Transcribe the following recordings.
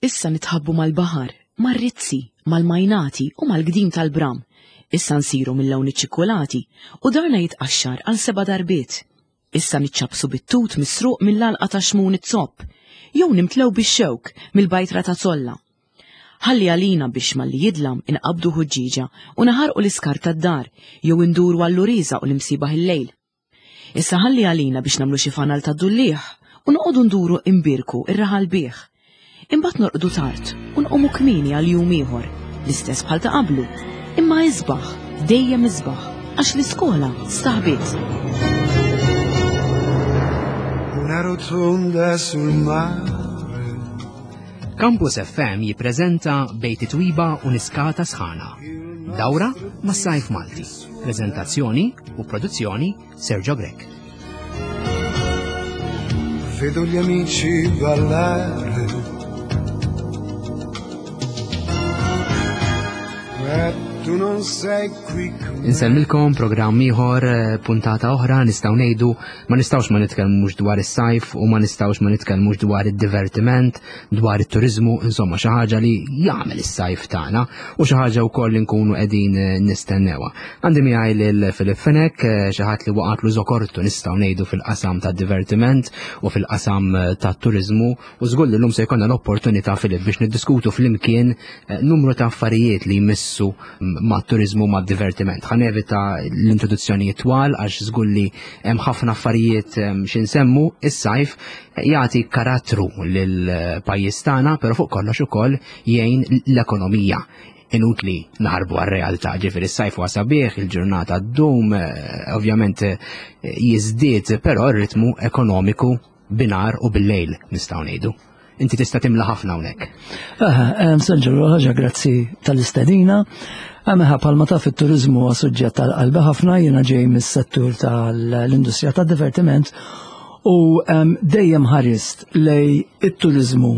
Issa nitħabbu mal-baħar, mar-rizzi, mal-majnati u mal-gdim tal-bram. Issa nsiru mill-lawn iċ-ċikkulati u darna jitqaxxar għal seba' darbiet. Issa niċċappsu bit-tut misruq mill-għalqa ta' Xmun iz-Zopp, jew nimtlew bix-xewk mill-bajtra ta' Zolla. Ħalli għalina biex malli jidlam inqabbdu ħuġġieġa u naħarqu l-iskart tad-dar jew induru għall-uriża u l-imsiebaħ il-lejl. Issa ħalli għalina biex nagħmlu xi fanal tad-dulliegħ u noqogħdu nduru imbierku r-raħal bih. Imbagħad norqdu tard u nqumu kmieni għal jum ieħor, l-istess bħal ta' qablu, imma isbaħ, dejjem isbaħ, għax l-iskola staħbiet. Una rotonda sul mare. Campus FM jippreżenta Bejt it-Twiba u Niskata Sħana. Dawra mas-Sajf Malti. Preżentazzjoni u produzzjoni Sergio Grech. Vedo gli amici ballare. Ma tu non sei qui con me. Insellmilkom programm ieħor eh, puntata oħra nistgħu ngħidu ma nistgħux ma nitkellmux dwar is-sajf u ma nistgħux ma nitkellmux dwar id-divertiment, dwar it-turiżmu, insomma xi ħaġa li jagħmel is-sajf tagħna u xi ħaġa wkoll li nkunu qegħdin eh, nistennewha. Għandi miegħi lil Filip Fenech, eh, xi ħadd li waqatlu żokortu nistgħu ngħidu fil-qasam tad-divertiment u fil-qasam eh, tat-turiżmu u żgur li llum se jkollna l-opportunità Filip biex niddiskutu flimkien numru ta' affarijiet li jmissu mat-turiżmu mad-divertiment. Ħa nevita l-introduzzjonijiet twal għax żgur li hemm ħafna affarijiet xi nsemmu is-sajf jagħti karattru lill-pajjiż tagħna, però fuq kollox ukoll jgħin l-ekonomija. Inutli naħarbu għar-realtà, ġifieri s-sajf huwa sabiħ, il-ġurnata ddum, eh, ovvjament eh, jiżdied, però r-ritmu ekonomiku binar u bil-lejl nistgħu ngħidu. Inti tista' timla ħafna hawnhekk. Aha, Sergio, ħaġa grazzi tal-istedina. Għameħa palma taf it-turizmu huwa suġġett tal-qalbi ħafna jiena ġej mis-settur tal-industrija tad-divertiment u dejjem ħarist lej it-turizmu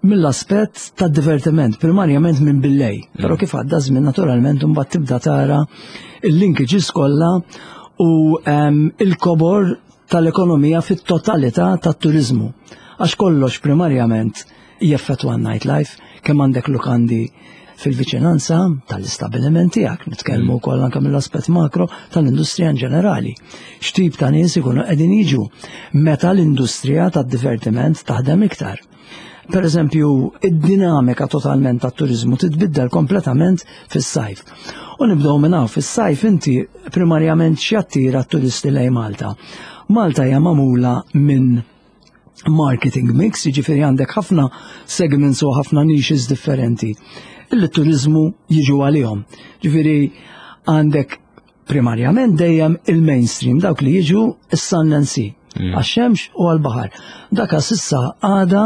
mill-aspett tad-divertiment, primarjament minn billej. Mm. Però kif għadda żmien naturalment imbagħad tibda tara il-linkages kollha u il-kobor tal-ekonomija fit-totalità tat-turiżmu. Għax kollox primarjament jeffettwa n-nightlife, kemm għandek lukandi fil-viċinanza tal-istabiliment tiegħek, nitkellmu mm. wkoll anke mill-aspett makro tal-industrija in ġenerali. X'tip ta' nies ikunu qegħdin jiġu meta l-industrija tad-divertiment taħdem iktar. Per eżempju, id-dinamika totalment tat-turiżmu titbiddel kompletament fis-sajf. U nibdew minn hawn fis-sajf inti primarjament x'jattira t-turisti lejn Malta. Malta hija magħmula minn marketing mix, jiġifieri għandek ħafna segments u ħafna niches differenti illi t-turiżmu jiġu għalihom. Ġifieri għandek primarjament dejjem il-mainstream, dawk li jiġu is-sun and sea, mm. għax-xemx u għal-baħar. Daka sissa għada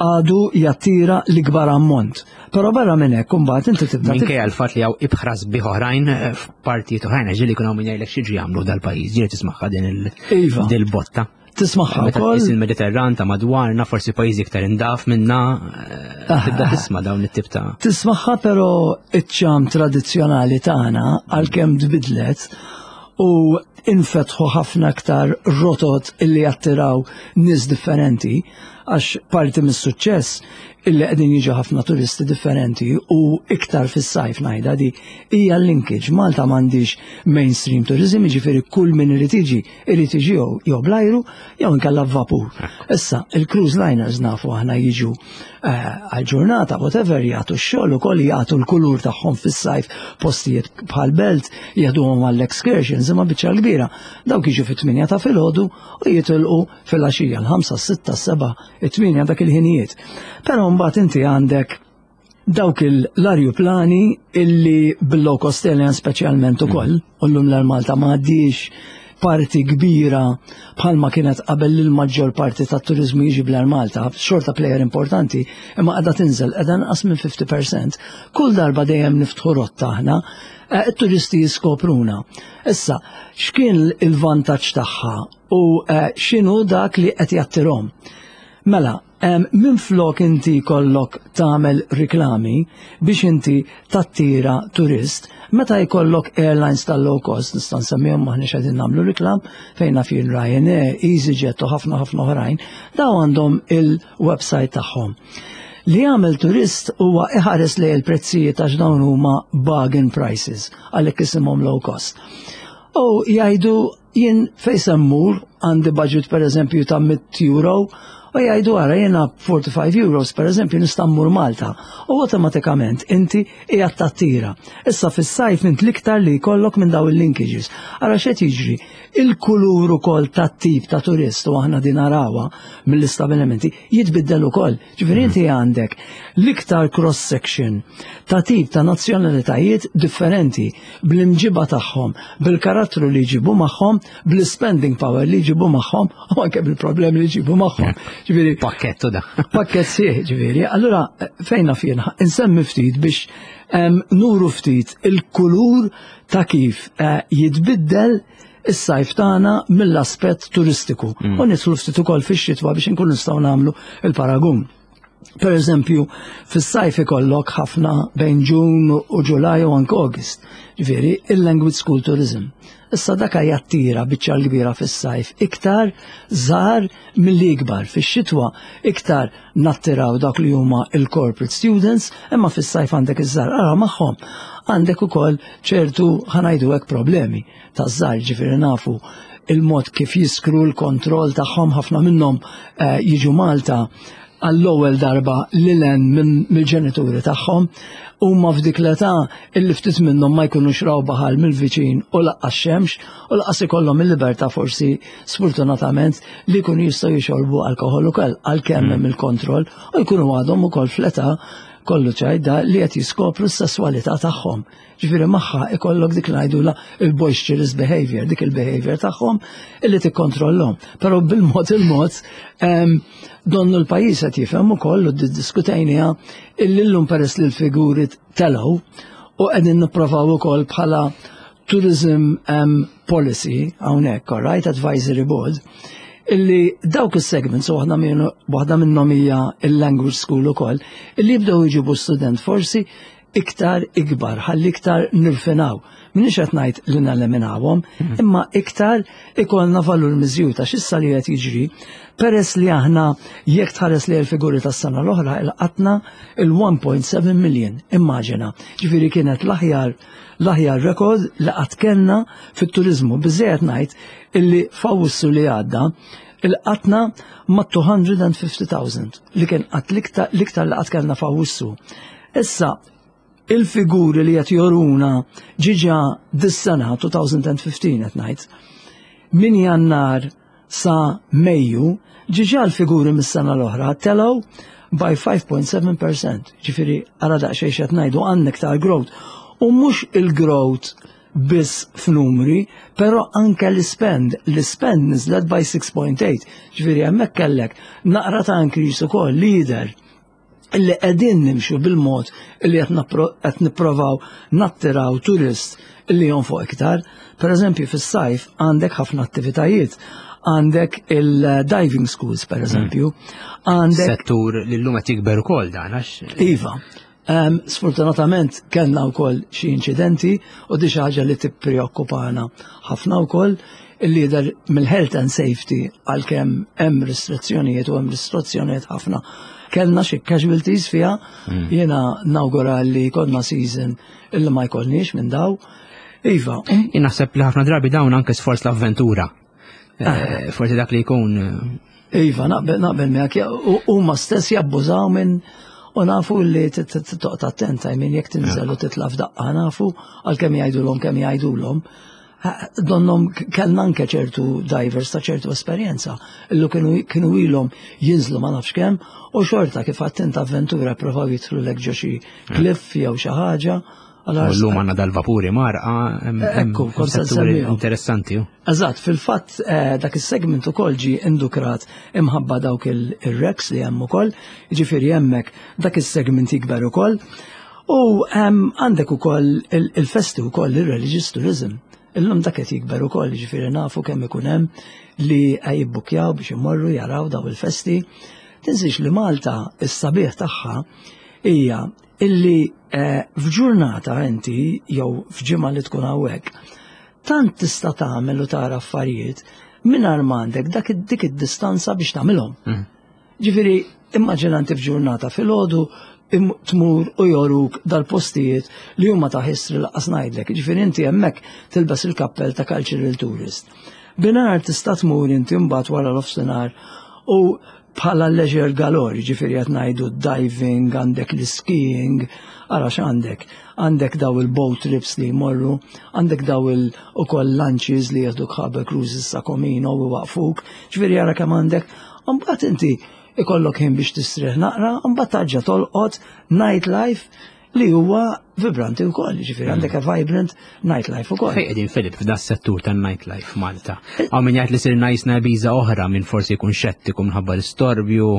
għadu jattira l-ikbar ammont. Però barra minn hekk imbagħad inti tibda. Minkejja l-fatt li hawn ibħra sbieħ oħrajn eh, f'partijiet oħrajn ġieli jkun hawn min jgħidlek xi jagħmlu dal-pajjiż, ġieli tismagħha din iva. il-botta. Tismagħha Meta wkoll. tqis il-Mediterran ta' madwarna, forsi pajjiżi iktar indaf minna, eh, Ah, tibda ah. tisma' dawn it-tip ta' Tismagħha però iċ-ċam tradizzjonali tagħna għalkemm tbidlet u infetħu ħafna aktar rotot illi jattiraw nies differenti għax parti mis-suċċess illi qegħdin jiġu ħafna turisti differenti u iktar fis-sajf ngħidha di hija l-linkage. Malta m'għandix mainstream tourism, jiġifieri kull min irid jiġi irid jiġi jew jew bl-ajru jew inkella b'vapur. Issa, il-cruise liners nafu aħna jiġu eh, għal ġurnata, whatever, jagħtu x-xogħol ukoll jagħtu l-kulur tagħhom fis-sajf postijiet bħal belt, jieħduhom għall-excursions, imma biċċa kbira. Dawk jiġu fit-8 ta' filgħodu u jitilqu fil-għaxija l-5, 6, 7, 8 dak il-ħinijiet. Però mbagħad inti għandek dawk l-arjuplani illi bil-low cost airlines speċjalment ukoll, mm. u llum l-Malta ma għaddix parti kbira bħalma kienet qabel li l-maġġor parti tat turizmu jiġi bl Malta, xorta player importanti, imma qiegħda tinżel qiegħda nqas minn 50%. Kull darba dejjem niftħu rotta aħna, eh, it-turisti jiskopruna. Issa, x'kien il-vantaġġ tagħha u eh, x'inhu dak li qed jattirhom? Mela, Minflok inti jkollok tagħmel riklami biex inti tattira turist, meta jkollok airlines tal-low cost, nista' nsemmihom maħniex qegħdin nagħmlu riklam, fejn naf jien Ryanair, EasyJet u ħafna ħafna oħrajn, daw għandhom il-website tagħhom. Li jagħmel turist huwa iħares lejn il-prezzijiet għax dawn huma bargain prices għalhekk isimhom low cost. U jgħidu jien fejn se mmur għandi budget pereżempju ta' 100 euro u jgħidu ara jiena 45 euros pereżempju nista' mmur Malta u awtomatikament inti qiegħed tattira. Issa fis-sajf int l-iktar li jkollok minn daw il-linkages. Ara x'qed jiġri, il-kulur ukoll tat-tip ta' turist u aħna din narawha mill-istabilimenti jitbiddel ukoll. Ġifieri inti għandek l-iktar cross section ta' tip ta' nazzjonalitajiet differenti bl-imġiba tagħhom, bil-karattru li jġibu magħhom, bl-spending power li jġibu magħhom u anke bil-problemi li jġibu magħhom. Ġifieri pakkettu da. Pakkett sieħ, ġifieri. Allura fejna fien insemmi ftit biex nuru ftit il-kulur ta' kif eh, jitbiddel is-sajf tagħna mill-aspett turistiku u nidħlu ftit ukoll fix-xitwa biex inkunu nistgħu nagħmlu il-paragun. Per eżempju, fis-sajf ikollok ħafna bejn Ġun u Ġulaj u anke August, ġifieri il-language school tourism. Issa daka jattira biċċa l-kbira fis-sajf iktar żgħar milli ikbar. Fix-xitwa iktar nattiraw dak li huma il-corporate students, imma fis-sajf għandek iż-żgħar ara magħhom għandek ukoll ċertu ħanajdu hekk problemi taż-żgħar, ġifieri nafu il-mod kif jiskru l-kontroll tagħhom ħafna minnhom eh, jiġu Malta għall-ewwel darba lil hemm mill-ġenituri tagħhom huma f'dik l-età illi ftit minnhom ma jkunux raw baħar mill-viċin u laqqas xemx u laqqas ikollhom il-libertà forsi sfortunatament li jkunu jistgħu jixorbu alkoħol ukoll għalkemm hemm il-kontroll u jkunu għadhom ukoll fl-età kollu ċajda li qed jiskopru s-sesswalità tagħhom. Ġifieri magħha ikollok dik li ngħidula il-boisterous behavior, dik il-behavior tagħhom illi tikkontrollhom. Però bil-mod il-mod donnu l-pajjiż qed jifhem ukoll u ddiskutejniha illi llum peress li l-figuri telgħu u qegħdin nipprovaw ukoll bħala tourism policy hawnhekk, all right, advisory board, illi dawk is-segments u waħda minnhom hija il-language school ukoll, illi jibdew jġibu student forsi iktar ikbar, ħalli iktar nirfinaw. Minix qed ngħid li neliminawhom, imma iktar ikollna valur miżjud għax issa li qed jiġri, peress li aħna jekk tħares li l-figuri tas-sena l-oħra ilqatna il-1.7 million, immaġina. Ġifieri kienet l-aħjar l-aħjar rekord li qatt kellna fit-turizmu. Biżejjed ngħid illi f'Awwissu li għadda ilqatna ma' 250,000 li kien qatt l-iktar li qatt kellna f'Awwissu. Issa, il-figuri li qed joruna ġiġa dis-sena 2015 qed ngħid, minn Jannar sa Mejju, ġiġa l-figuri mis-sena l-oħra telgħu by 5.7%. Ġifieri ara daqsxejn x'qed ngħidu għandna iktar growth. U mhux il-growth biss f'numri, però anke l-spend, l-spend niżlet by 6.8. Ġifieri hemmhekk kellek naqra ta' increase ukoll leader illi qegħdin nimxu bil-mod illi qed nipprovaw nattiraw turist illi jonfoq iktar. Per eżempju, fis-sajf għandek ħafna attivitajiet. Għandek il-diving schools, per eżempju. Għandek settur li llum qed jikber ukoll dan għax. Iva. Sfortunatament kellna wkoll xi inċidenti u di xi ħaġa li tippreokkupana ħafna wkoll il-lider mill-health and safety għalkemm hemm restrizzjonijiet u hemm restrizzjonijiet ħafna. Kellna xi casualties fiha, jiena nawgura li konna season illi ma jkollniex minn daw. Iva. Jien naħseb li ħafna drabi dawn anke sforz l-avventura. Forsi dak li jkun. Iva, naqbel miegħek, huma stess jabbużaw minn u nafu li toqgħod attenta minn jekk tinżel u titla' f'daqqa nafu għalkemm jgħidulhom kemm jgħidulhom. Donnom kellna anke ċertu divers ta' ċertu esperjenza illu kienu ilhom jinżlu ma nafx kemm u xorta kif għattent avventura provaw jidħlu lek ġo xi cliff jew xi ħaġa. Allum għandna dal-vapuri marqa, Ekku, kont se nsemmihom. interessanti. Eżatt, fil-fatt dak is-segment ukoll ġi indukrat imħabba dawk il-wrecks li hemm ukoll, jiġifieri hemmhekk dak is-segment jikber ukoll. U għandek ukoll il-festi ukoll il-religious tourism. Illum dak qed jikber ukoll, jiġifieri nafu kemm ikun hemm li jibbukjaw biex imorru jaraw daw il-festi. Tinsiex li Malta is-sabiħ tagħha hija illi f'ġurnata inti jew f'ġimgħa li tkun hawnhekk tant tista' tagħmel u tara affarijiet mingħajr m'għandek dik id-distanza biex tagħmilhom. Ġifieri Immaġina inti f'ġurnata filgħodu tmur u joruk dal-postijiet li huma ta' history laqqas ngħidlek. Ġifieri inti hemmhekk tilbes il-kappell ta' cultural tourist. Binhar tista' tmur inti mbagħad wara l-ofsinhar u bħala leisure galore, ġifieri qed ngħidu diving, għandek l-skiing, ara x'għandek. Għandek daw il-boat trips li jmorru, għandek daw il ukoll lunches li jieħduk ħabel cruises sa Comino u waqfuk, ġifieri ara kemm għandek. Mbagħad inti ikollok ħin biex tistrieħ naqra, mbagħad tarġa' tolqot nightlife li huwa vibranti wkoll, ġifieri għandek a vibrant nightlife ukoll. Fejn qegħdin Filip f'da settur tan-nightlife Malta? Hawn min jgħid li sirna jisna biża oħra minn forsi jkun xettiku minħabba l-istorbju.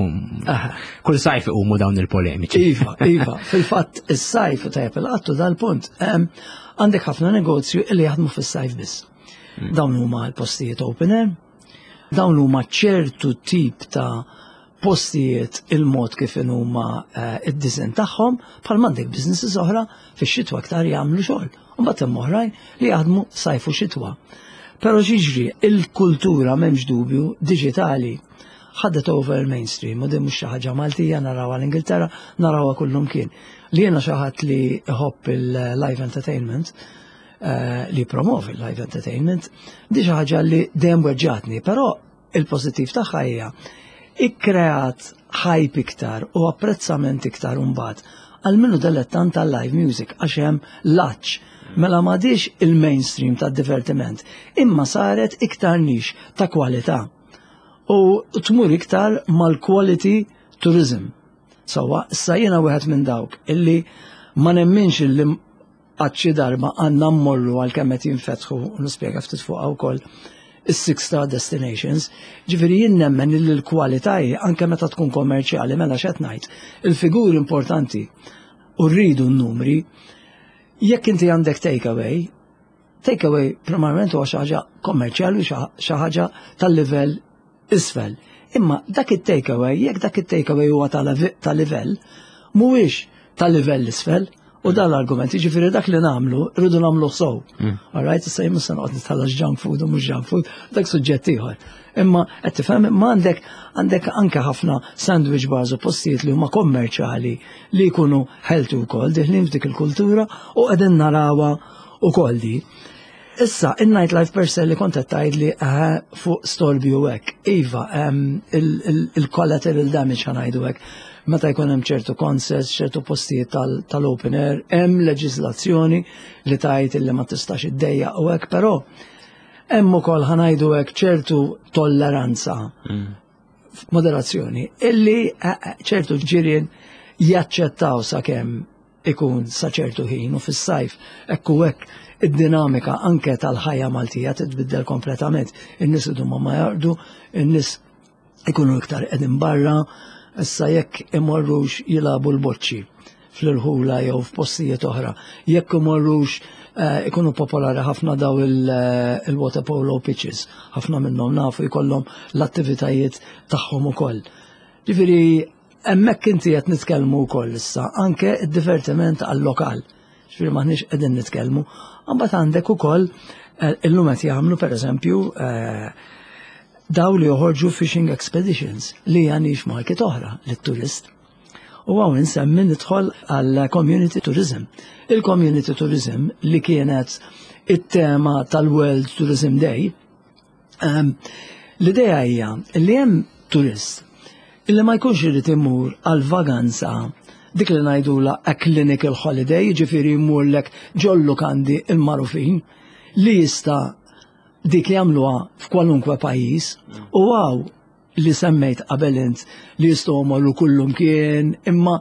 Kull sajf iqumu dawn il-polemiċi. Iva, iva, fil-fatt is-sajf tajjeb il-qattu dal-punt. Għandek ħafna negozju li jaħdmu fis-sajf biss. Dawn huma l-postijiet open air, dawn huma ċertu tip ta' postijiet il-mod kif huma eh, id-disin tagħhom bħal m'għandek businesses oħra fix-xitwa aktar jagħmlu xogħol. U mbagħad hemm oħrajn li jaħdmu sajf u xitwa. Però xiġri il-kultura m'hemmx dubju diġitali ħadet over mainstream u din mhux xi ħaġa Maltija narawha l-Ingilterra, narawha kullumkien. Li jiena xi ħadd li iħobb il-live entertainment, eh, li promovi live entertainment, di xi ħaġa li dejjem weġġatni, però il-pożittiv tagħha hija ikkreat hype iktar u apprezzament iktar imbagħad għal minnu dilettant tal-live music għax hemm laċ mela m'għadix il-mainstream tad-divertiment imma saret iktar nix ta' kwalità u tmur iktar mal-quality tourism. Sawa, issa jiena wieħed minn dawk illi ma nemminx illi Għad xi darba għandna mmorru għal kemm qed jinfetħu u nispjega ftit fuqha wkoll is-six star destinations. Ġifieri jien nemmen li l-kwalità hi anke meta tkun kommerċjali mela x'qed ngħid. Il-figuri importanti u rridu n-numri. Jekk inti għandek takeaway, takeaway primarjament huwa xi ħaġa kommerċjali u xi ħaġa tal-livell isfel. Imma dak it-takeaway, jekk dak it-takeaway huwa ta' livell, mhuwiex ta' livell isfel, u dan l-argument, jiġifieri dak li nagħmlu, rridu nagħmlu sew. Mm. All right, issa jien se noqgħod nitħallas junk food u mhux junk food, dak suġġett ieħor. Imma qed tifhem imma għandek għandek anke ħafna sandwich bars u postijiet li huma kommerċjali li jkunu healthy wkoll diħlin f'dik il-kultura u qegħdin narawha ukoll di. Issa, il-nightlife per se li kont qed tgħidli eh, fuq storbju hekk. Iva, il-collateral damage ħa ngħidu hekk. Meta jkun hemm ċertu concerts, ċertu postijiet tal-open air, hemm leġiżlazzjoni li tgħid li ma tistax iddejjaq u hekk, però hemm ukoll ħa ngħidu hekk ċertu tolleranza. Moderazzjoni illi eh, eh, ċertu ġirien jaċċettaw sakemm ikun sa ċertu ħin u fis-sajf hekk u hekk id-dinamika anke tal-ħajja Maltija titbiddel kompletament. In-nies idhom ma jardu, in-nies ikunu iktar qegħdin barra, issa jekk imorrux jilagħbu l-boċċi fl-irħula jew f'postijiet oħra, jekk imorrux eh, ikunu popolari ħafna daw eh, il-water polo pitches, ħafna minnhom nafu jkollhom l-attivitajiet tagħhom ukoll. Ġifieri Hemmhekk inti qed nitkellmu wkoll issa anke d-divertiment għal-lokal. Ġifieri m'aħniex qegħdin nitkellmu. Imbagħad għandek ukoll eh, illum qed jagħmlu pereżempju eh, daw li joħorġu fishing expeditions li hija nix market oħra lit-turist. U għaw insemmi nidħol għal community tourism. Il-community tourism li kienet it-tema tal-World Tourism Day, Ehm, l-idea hija li hemm turist illi ma jkunx irid imur għal vaganza dik li ngħidula a clinical holiday, jiġifieri jmurlek ġollu kandi il-marufin li jista' dik jagħmluha f'kwalunkwe pajjiż u għaw li semmejt qabel int li jistgħu jmorru kullumkien, imma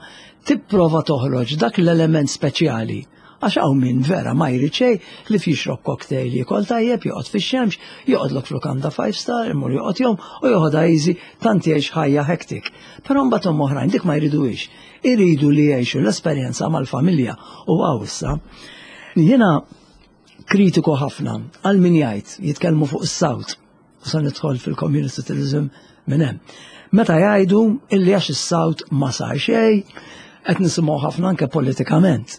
tipprova toħroġ dak l-element speċjali. Għax hawn min vera ma jrid xejn li jixrob cocktail jiekol tajjeb, joqgħod fix-xemx, joqgħodlok f'lukanda five star, imur joqgħod jom u joħodha easy tant jgħix ħajja hectic. Però mbagħad hemm oħrajn dik ma jriduhiex. Iridu li jgħixu l-esperjenza mal-familja u hawn issa. Jiena kritiku ħafna għal min jgħid jitkellmu fuq is-sawt sa nidħol fil-community tourism minn hemm. Meta jgħidu illi għax is-sawt ma sar xejn, qed nisimgħu ħafna anke politikament.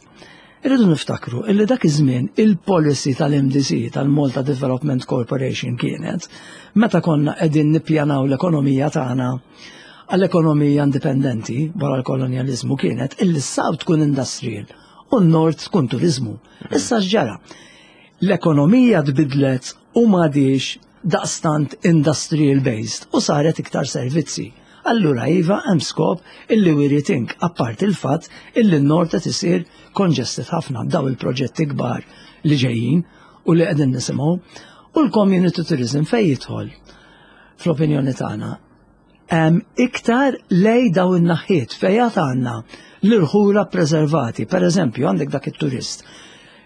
Irridu niftakru illi dak iż-żmien il-policy tal-MDC tal-Malta Development Corporation kienet meta konna qegħdin nippjanaw l-ekonomija tagħna. għall-ekonomija indipendenti wara l-kolonjaliżmu kienet illi s-South tkun industrial u n-North tkun turizmu. Issa x'ġara? L-ekonomija tbidlet u m'għadix daqstant industrial based u saret iktar servizzi. Allura iva hemm skop illi we rethink apparti il-fatt illi n-Nord qed isir congested ħafna b'daw il-proġetti kbar li ġejjin u li qegħdin nisimgħu. U l-community tourism fejn jidħol fl-opinjoni tagħna iktar lej daw in-naħħiet fejn għad għandna l-irħula preservati. Per eżempju, għandek dak it-turist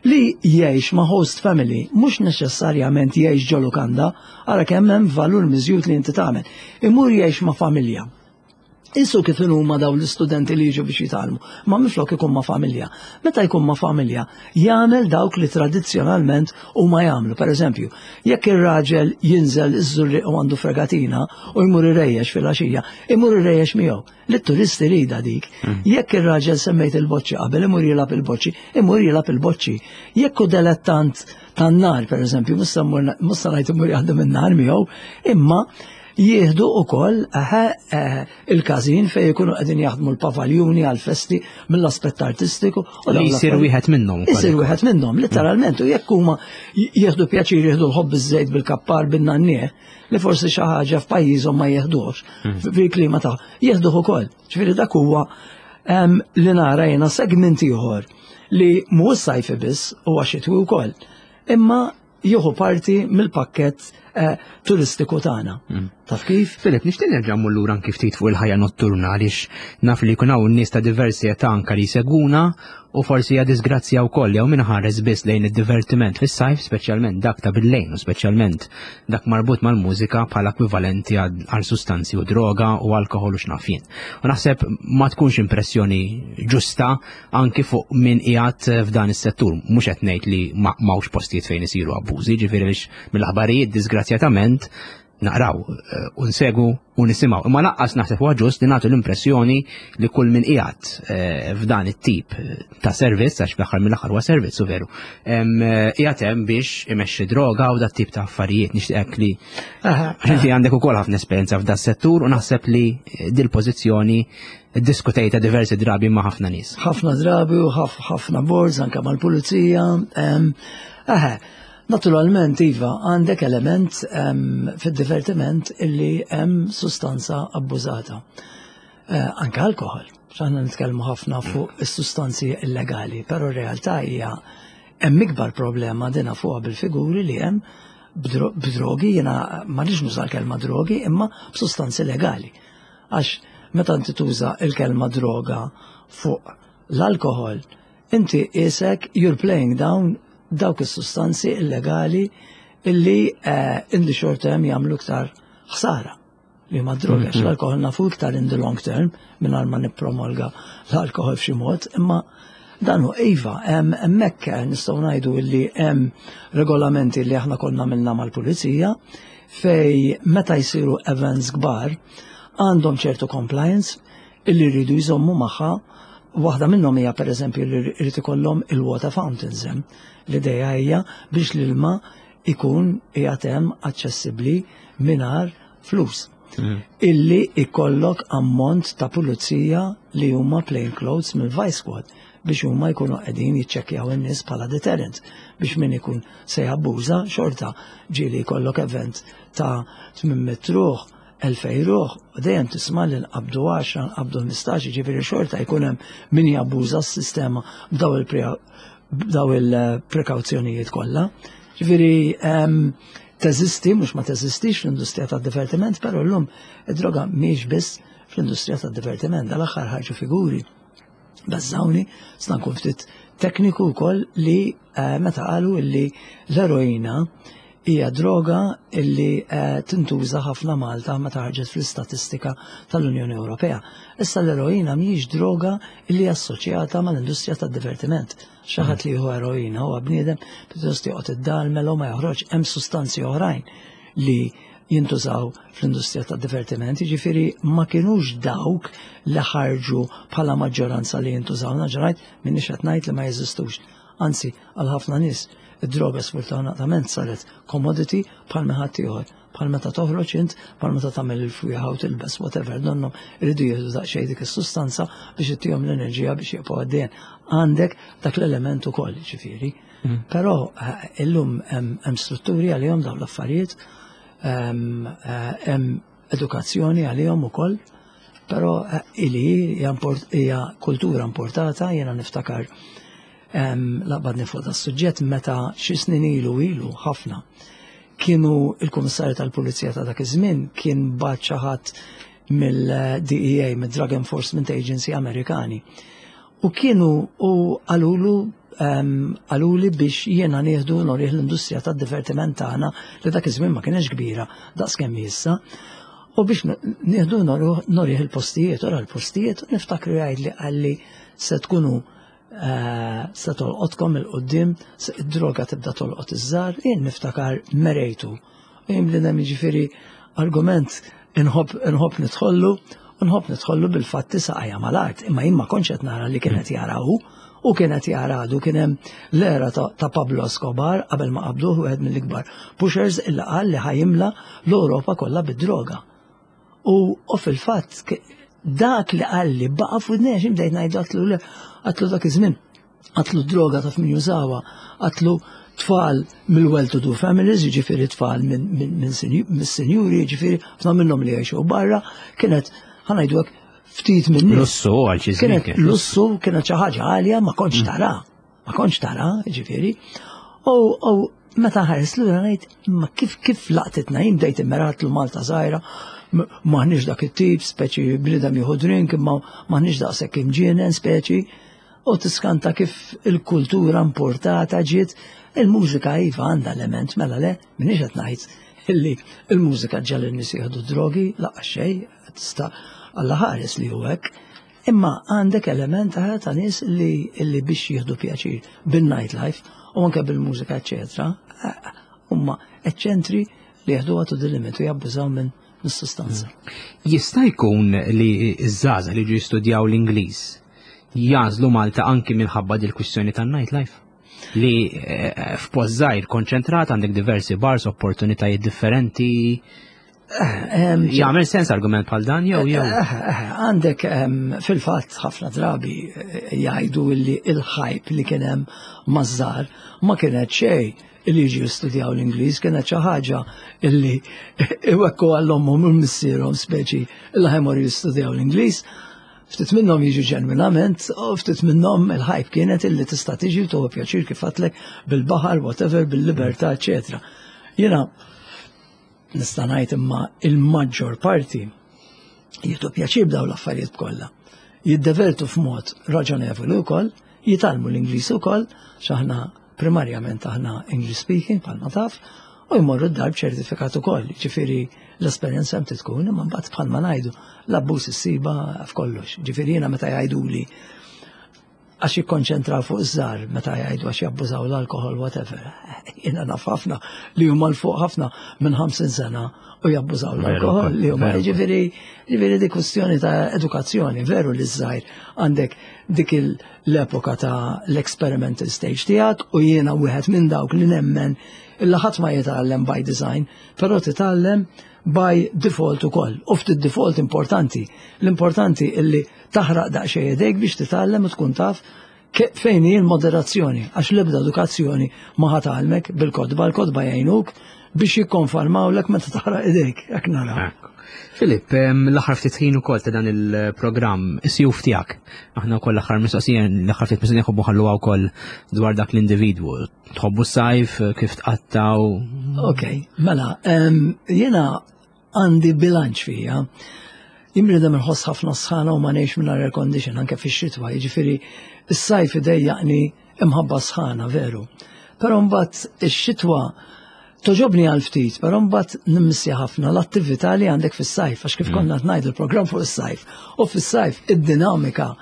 li jgħix ma' host family, mhux neċessarjament jgħix ġo lukanda, ara kemm hemm valur miżjud li inti tagħmel. Imur jgħix ma' familja. Isu kif huma dawn l-istudenti li jiġu biex jitgħallmu, ma minflok ikun ma' familja. Meta jkun ma' familja, jagħmel dawk li tradizzjonalment huma jagħmlu. Per eżempju, jekk ir-raġel jinżel iż-Żurrieq u għandu fregatina u jmur irejjex fil-għaxija, imur irejjex miegħu. Li t-turist irida dik. Jekk ir-raġel semmejt il-boċċi qabel imur jilgħab il-boċċi, imur jilgħab il-boċċi. Jekk hu delettant tan-nar, per eżempju, mhux se ngħid imur jaħdem in-nar miegħu, imma jieħdu ukoll il-każin fejn ikunu qegħdin jaħdmu l-pavaljuni għal-festi mill-aspett artistiku. U li jsir wieħed minnhom. Isir wieħed minnhom, literalment, u jekk huma jieħdu pjaċir jieħdu l-ħobb iż-żejt bil-kappar bin-nannieh, li forsi xi ħaġa f'pajjiżhom ma jieħdux, fil-klima ta' jieħduh ukoll. Ġifieri dak huwa li nara jiena segment ieħor li mhuwiex sajfi biss huwa xitwi wkoll. Imma jieħu parti mill-pakkett turistiku tagħna. Taf kif? Filip, nixtieq nerġa' mmur lura anki ftit fuq il-ħajja notturna għaliex naf li jkun hawn nies ta' diversi età anke li jsegwuna u forsi hija disgrazzja wkoll jew min ħares biss lejn id-divertiment fis-sajf, speċjalment dak ta' bil-lejn u speċjalment dak marbut mal-mużika bħala ekwivalenti għal sustanzi u droga u alkoħol u x'naf jien. U naħseb ma tkunx impressjoni ġusta anki fuq min qiegħed f'dan is-settur. Mhux qed ngħid li m'hawnx postijiet fejn isiru abbużi, ġifieri biex mill-aħbarijiet disgrazzjatament naqraw u nsegu u nisimgħu. Imma lanqas naħseb huwa ġust li nagħtu l-impressjoni li kull min qiegħed f'dan it-tip ta' servizz, għax fl-aħħar mill-aħħar huwa servizz u veru, qiegħed hemm biex imexxi droga u dat tip ta' affarijiet. Nixtieqek li għax inti għandek ukoll ħafna esperjenza f'da settur u naħseb li dil-pożizzjoni iddiskutejta diversi drabi ma' ħafna nies. Ħafna drabi u ħafna boards anke mal-pulizija. Naturalment, iva, għandek element fid-divertiment illi hemm sustanza abbużata. Anke alkohol. Aħna nitkellmu ħafna fuq is-sustanzi illegali, però r-realtà hija hemm ikbar problema dina fuqha bil-figuri li hemm b'drogi, jiena ma rridx nuża l-kelma drogi, imma b'sustanzi legali. Għax meta inti tuża il-kelma droga fuq l-alkohol, inti isek you're playing down dawk is-sustanzi illegali illi in the short term jagħmlu iktar ħsara li ma droga, għax l-alkohol nafu iktar in the long term mingħajr ma nippromolga l-alkohol f'xi mod, imma dan hu iva, hemmhekk nistgħu ngħidu illi hemm regolamenti li aħna konna għamilna mal-pulizija fej meta jsiru events kbar għandhom ċertu compliance illi rridu jżommu magħha. Waħda minnhom hija pereżempju li rrid ikollhom il-water fountains hemm. L-idea hija biex l-ilma ikun qiegħed hemm aċċessibbli mingħajr flus. Illi ikollok ammont ta' pulizija li huma plain clothes mill-Vice Squad biex huma jkunu qegħdin jiċċekkjaw in-nies bħala deterrent biex min ikun se jabbuża xorta ġieli jkollok event ta' 800 ruħ, 2000 ruħ, u dejjem tisma' li nqabdu 10, nqabdu 15, ġifieri xorta jkun hemm min jabbuża s-sistema b'daw il-prekawzjonijiet kollha. Ġifieri teżisti, mhux ma teżistix fl-industrija tad-divertiment, però llum id-droga mhijiex biss fl-industrija tad-divertiment. Dal-aħħar ħarġu figuri beżżawni, sta nkun ftit tekniku wkoll li meta qalu illi l-eroina hija droga illi tintuża ħafna Malta meta ħarġet fl-istatistika tal-Unjoni Ewropea. Issa l-eroina mhijiex droga illi assoċjata mal-industrija tad-divertiment. Xi ħadd li jieħu eroina huwa bniedem pjuttost joqgħod id-dar mela ma joħroġ, hemm sustanzi oħrajn li jintużaw fl-industrija tad-divertiment, jiġifieri ma kinux dawk li ħarġu bħala maġġoranza li jintużaw. Naġġorajt minni qed ngħid li ma jeżistux. Anzi, għal ħafna nies id-droga sfortunatament saret commodity bħal ħadd ieħor. Bħal meta toħroġ int, bħal meta tagħmel il-fwieħa u tilbes whatever, donnhom iridu jieħdu daqsxejn dik is-sustanza biex ittihom l-enerġija biex jibqgħu għaddejjin. Għandek dak l-element ukoll, ġifieri. Però illum hemm strutturi għalihom dawn l-affarijiet, hemm edukazzjoni għalihom ukoll, però ili hija kultura importata, jiena niftakar laqbadni fuq da suġġett meta xi snin ilu ilu ħafna kienu il-Kummissarju tal-Pulizija ta' dak iż-żmien kien bagħat xi ħadd mill-DEA, mid-Drug Enforcement Agency Amerikani. U kienu u qalulu qaluli biex jiena nieħdu norih l-industrija tad-divertiment tagħna li dak iż-żmien ma kienx kbira daqskemm issa. U biex nieħdu norih il-postijiet, ora l-postijiet, u niftakru jgħidli qalli se tkunu se tolqotkom il-qoddim, id-droga tibda tolqot iż-żgħar, jien niftakar merejtu. Jien bniedem jiġifieri argument inħobb nidħollu, u nħobb nidħollu bil-fatti saqajja mal-art, imma jien ma kontx qed nara li kienet jara hu, u kienet jara għadu kien hemm l-era ta' Pablo Escobar qabel ma qabduh wieħed mill-ikbar pushers illa qal li ħajimla l-Ewropa kollha bid-droga. U fil-fatt dak li qalli baqa' f'widnejja xi bdejt ngħidu għatlu le, għatlu dak iż-żmien, għatlu droga taf min jużawha, għatlu tfal mill-well-to-do families, jiġifieri tfal minn sinjuri, jiġifieri ħafna minnhom li jgħixu barra, kienet ħa ngħidu hekk ftit minn nies. Lussu għal xi żmien. Kienet lussu, kienet xi ħaġa għalja ma kontx tara. Ma kontx tara, ġifieri. U meta ħares lura ngħid, ma kif laqtitna jien bdejt immeratlu Malta żgħira, maħniex dak it-tip, speċi bniedem jieħu drink, imma maħniex daqshekk imġienen speċi. U tiskanta kif il-kultura importata ġiet, il-mużika iva għandha element, mela le, minix qed ngħid illi il-mużika ġġagħal in-nies jieħdu drogi, lanqas xejn, tista' Alla ħares li hu hekk. Imma għandek element ta' nies li biex jieħdu pjaċir bil-nightlife u anke bil-mużika, eccetera, huma eċċentri li jieħdu to the limit u jabbużaw minn mis-sustanza. Jista' jkun li ż-żgħażagħ li ġu jistudjaw l-Ingliż jagħżlu Malta anki minħabba dil-kwistjoni tan-nightlife? Li f'post żgħir konċentrat għandek diversi bars, opportunitajiet differenti. Jagħmel sens argument bħal dan jew? Għandek fil-fatt ħafna drabi jgħidu li il-hype li kien hemm maż-żgħar ma kienet xejn illi jiġu jistudjaw l-Ingliż, kienet xi ħaġa illi iwekku għall-ommhom u missierhom speċi illi ħa jmorru jistudjaw l-Ingliż. Ftit minnhom jiġu ġenwinament, u ftit minnhom il-hype kienet illi tista' tiġi u tieħu pjaċir kif għedtlek bil-baħar, whatever, bil-libertà, eċetera. Jiena nista' ngħid imma il-maġġor parti jieħdu pjaċir b'dawn l-affarijiet kollha. Jiddevertu f'mod raġonevoli wkoll, jitgħallmu l-Ingliż ukoll, x'aħna primarjament aħna English speaking bħalma taf, u jmorru d-dar b'ċertifikat ukoll, ġifieri l-esperjenza hemm tkun, imma mbagħad bħalma ngħidu l-abbuż issiba f'kollox. Ġifieri jiena meta jgħiduli għax jikkonċentraw fuq iż-żgħar meta jgħidu għax jabbużaw l-alkohol, whatever. Jiena naf ħafna li huma 'l fuq ħafna minn 50 sena u jabbużaw l-alkohol li huma ġifieri di kwestjoni ta' edukazzjoni, veru li żgħir għandek dik l-epoka ta' l-experimental stage tiegħek u jiena wieħed minn dawk li nemmen illa ħadd ma jitgħallem by design, però titgħallem by default ukoll. U ftit default importanti. L-importanti illi taħraq daqsxejn idejk biex titgħallem u tkun taf fejn hi l-moderazzjoni, għax l-ebda edukazzjoni ma ħa tgħallmek bil-kotba, l-kotba jgħinuk biex jikkonfermawlek meta taħraq idejk, jekk nara. Filip, l-aħħar ftit ħin ukoll ta' dan il-programm, is-sjuf tiegħek. Aħna wkoll l-aħħar mistoqsija, l-aħħar ftit mistoqsija nħobbu ħalluha wkoll dwar dak l-individwu. Tħobbu s-sajf, kif tqattaw? Ok, mela, jiena għandi bilanċ fija. Jien bniedem inħoss ħafna sħana u ma ngħix minn air condition anke fix-xitwa, jiġifieri s-sajf idejjaqni imħabba sħana veru. Però mbagħad ix-xitwa togħġobni għal ftit, però mbagħad nimmissja ħafna l-attività li għandek fis-sajf, għax kif konna ngħidu l-programm fuq is-sajf. U fis-sajf id-dinamika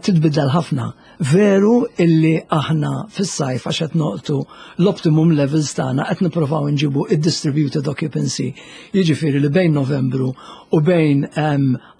titbiddel ħafna. Veru illi aħna fis-sajf għax qed noqtu l-optimum levels tagħna qed nippruvaw nġibu id-distributed occupancy. Jiġifieri li bejn Novembru u bejn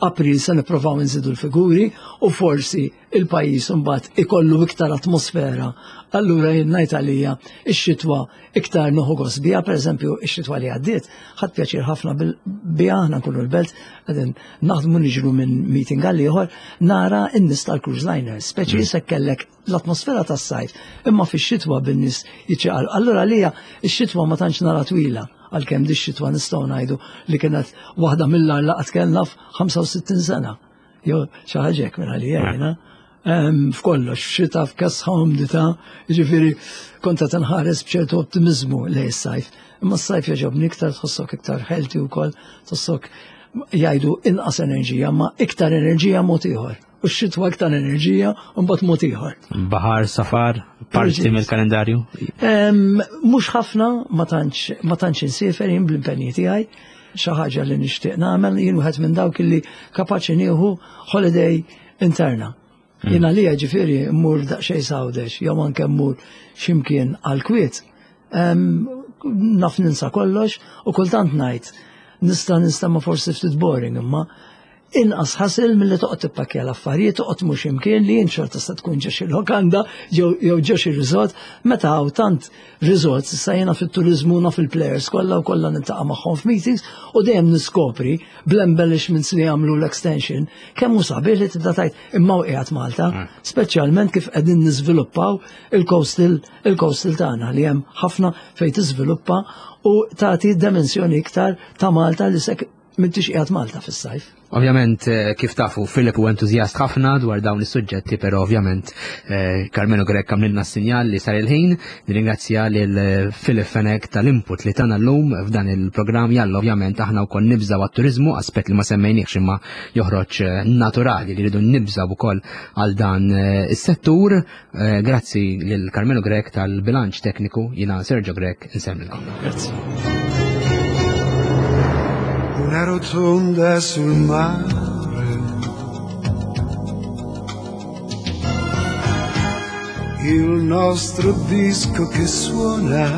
April se nippruvaw nżidu l-figuri u forsi il-pajjiż imbagħad ikollu iktar atmosfera. Allura jien ngħid għalija x-xitwa iktar noħu gost biha, pereżempju x-xitwa li għaddiet, ħadd pjaċir ħafna biha aħna nkunu l-belt qegħdin naħdmu niġru minn meeting għal ieħor nara n-nies tal-cruise liners, speċi mm. se kellek l-atmosfera tas-sajf, imma fix-xitwa bin-nies jiċċaqal. Allura għalija x-xitwa ma tantx nara twila għalkemm di xitwa nistgħu ngħidu li kienet waħda mill-agħar laqgħat kellna f'65 sena. Jew xi ħaġa hekk minn għalija jiena. F'kollox, f'xita, f'kesħa umdità, jiġifieri kont qed inħares b'ċertu ottimiżmu lejn is-sajf. Imma s-sajf jogħġobni iktar tħossok iktar healthy wkoll, tħossok jgħidu inqas enerġija, ma iktar enerġija mod ieħor. U x-xitwa iktar enerġija u mbagħad mod ieħor. Baħar, safar, parti mill-kalendarju? Mhux ħafna, ma tantx insiefer jien bl-impenji tiegħi. Xi ħaġa li nixtieq nagħmel jien wieħed minn dawk li kapaċi nieħu holiday interna. Mm. Jien għalija ġifieri mmur daqsxejn sawdex jew anke mmur x'imkien għal kwiet. Naf ninsa kollox u kultant ngħid nista' nista' ma forsi ftit boring imma inqas ħasil milli toqgħod tippakkja l-affarijiet, toqgħod mhux imkien li jien xorta se tkun ġo xi lokanda jew ġo xi resort, meta hawn tant resorts issa jiena fit-turiżmu naf il-players kollha u kollha niltaqa' magħhom f'meetings u dejjem niskopri bl-embellishments li jagħmlu l-extension kemm hu sabiħ li tibda tgħid imma hu qiegħed Malta, mm. speċjalment kif qegħdin niżviluppaw il-coastal il-coastal tagħna li hemm ħafna fejn tiżviluppa u tagħti dimensjoni iktar ta' Malta li sek M'intix qiegħed Malta fis-sajf. Ovvjament, eh, kif tafu, Filip u entużjast ħafna dwar dawn is-suġġetti, però ovvjament eh, Carmelo Grek għamlilna s-sinjal li sar il-ħin. Nirringrazzja lil eh, Filip Fenek tal-input li tana llum f'dan il-programm jalla ovvjament aħna wkoll nibżaw għat-turizmu, aspett li ma semmejniex imma joħroġ naturali li rridu nibżaw ukoll għal dan is-settur. Eh, grazzi lil Carmelo Grek tal-bilanċ tekniku, jina Sergio Grek, nsemmilkom. Grazzi. Una rotonda sul mare. Il nostro disco che suona.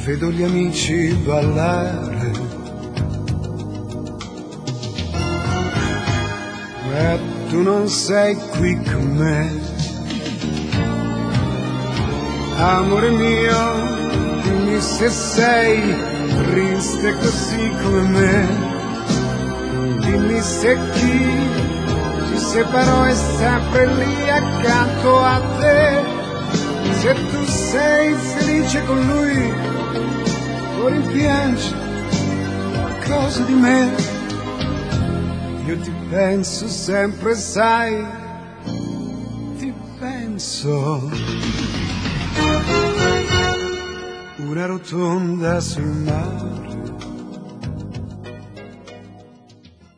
Vedo gli amici ballare. Ma tu non sei qui con me. Amore mio, dimmi se sei triste così come me. Dimmi se chi ci separò è sempre lì accanto a te. Se tu sei felice con lui, o rimpiangi qualcosa di me. Io ti penso sempre, sai, ti penso. Una rotonda sul mare.